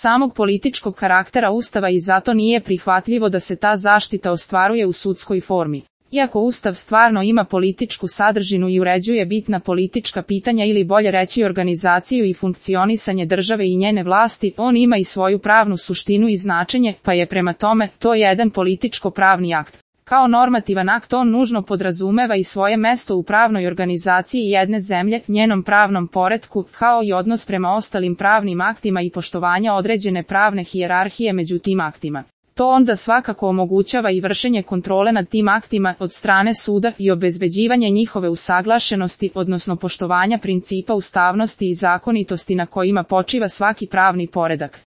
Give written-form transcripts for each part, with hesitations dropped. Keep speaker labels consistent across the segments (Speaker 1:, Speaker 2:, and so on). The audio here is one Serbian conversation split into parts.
Speaker 1: samog političkog karaktera Ustava i zato nije prihvatljivo da se ta zaštita ostvaruje u sudskoj formi. Iako Ustav stvarno ima političku sadržinu i uređuje bitna politička pitanja ili bolje reći organizaciju i funkcionisanje države i njene vlasti, on ima i svoju pravnu suštinu i značenje, pa je prema tome to jedan političko-pravni akt. Kao normativan akt on nužno podrazumeva i svoje mesto u pravnoj organizaciji jedne zemlje, njenom pravnom poretku, kao i odnos prema ostalim pravnim aktima i poštovanja određene pravne hijerarhije među tim aktima. To onda svakako omogućava i vršenje kontrole nad tim aktima od strane suda i obezbeđivanje njihove usaglašenosti, odnosno poštovanja principa ustavnosti i zakonitosti na kojima počiva svaki pravni poredak.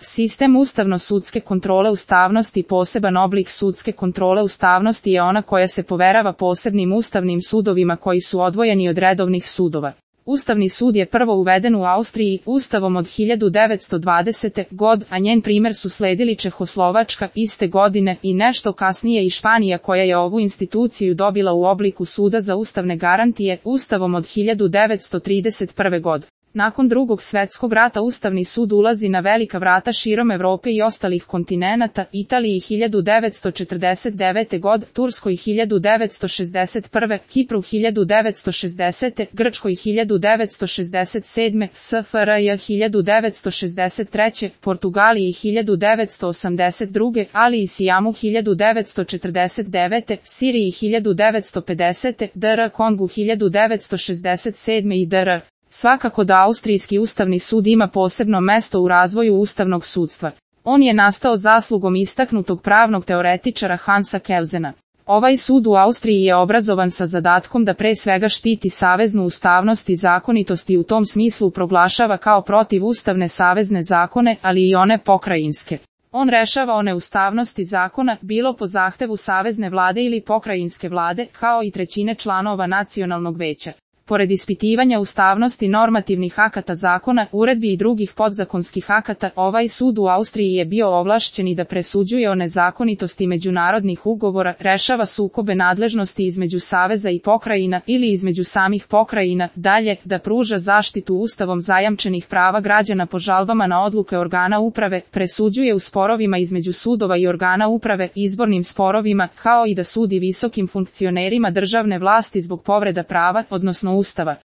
Speaker 1: Sistem ustavno-sudske kontrole ustavnosti. Poseban oblik sudske kontrole ustavnosti je ona koja se poverava posebnim ustavnim sudovima koji su odvojeni od redovnih sudova. Ustavni sud je prvo uveden u Austriji Ustavom od 1920. godine, a njen primer su sledili Čehoslovačka iste godine i nešto kasnije i Španija koja je ovu instituciju dobila u obliku suda za ustavne garantije Ustavom od 1931. godine. Nakon Drugog svjetskog rata Ustavni sud ulazi na velika vrata širom Evrope i ostalih kontinenata, Italiji 1949. godine, Turskoj 1961. Kipru 1960. Grčkoj 1967. SFRJ 1963. Portugaliji 1982. ali i Sijamu 1949. Siriji 1950. DR Kongu 1967. i DR. Svakako da Austrijski ustavni sud ima posebno mesto u razvoju ustavnog sudstva. On je nastao zaslugom istaknutog pravnog teoretičara Hansa Kelzena. Ovaj sud u Austriji je obrazovan sa zadatkom da pre svega štiti saveznu ustavnost i zakonitost i u tom smislu proglašava kao protivustavne savezne zakone, ali i one pokrajinske. On rešava o neustavnosti zakona, bilo po zahtevu savezne vlade ili pokrajinske vlade, kao i trećine članova nacionalnog veća. Pored ispitivanja ustavnosti normativnih akata zakona, uredbi i drugih podzakonskih akata, ovaj sud u Austriji je bio ovlašćen i da presuđuje o nezakonitosti međunarodnih ugovora, rešava sukobe nadležnosti između saveza i pokrajina ili između samih pokrajina, dalje, da pruža zaštitu ustavom zajamčenih prava građana po žalbama na odluke organa uprave, presuđuje u sporovima između sudova i organa uprave, izbornim sporovima, kao i da sudi visokim funkcionerima državne vlasti zbog povreda prava, odnosno Ustava.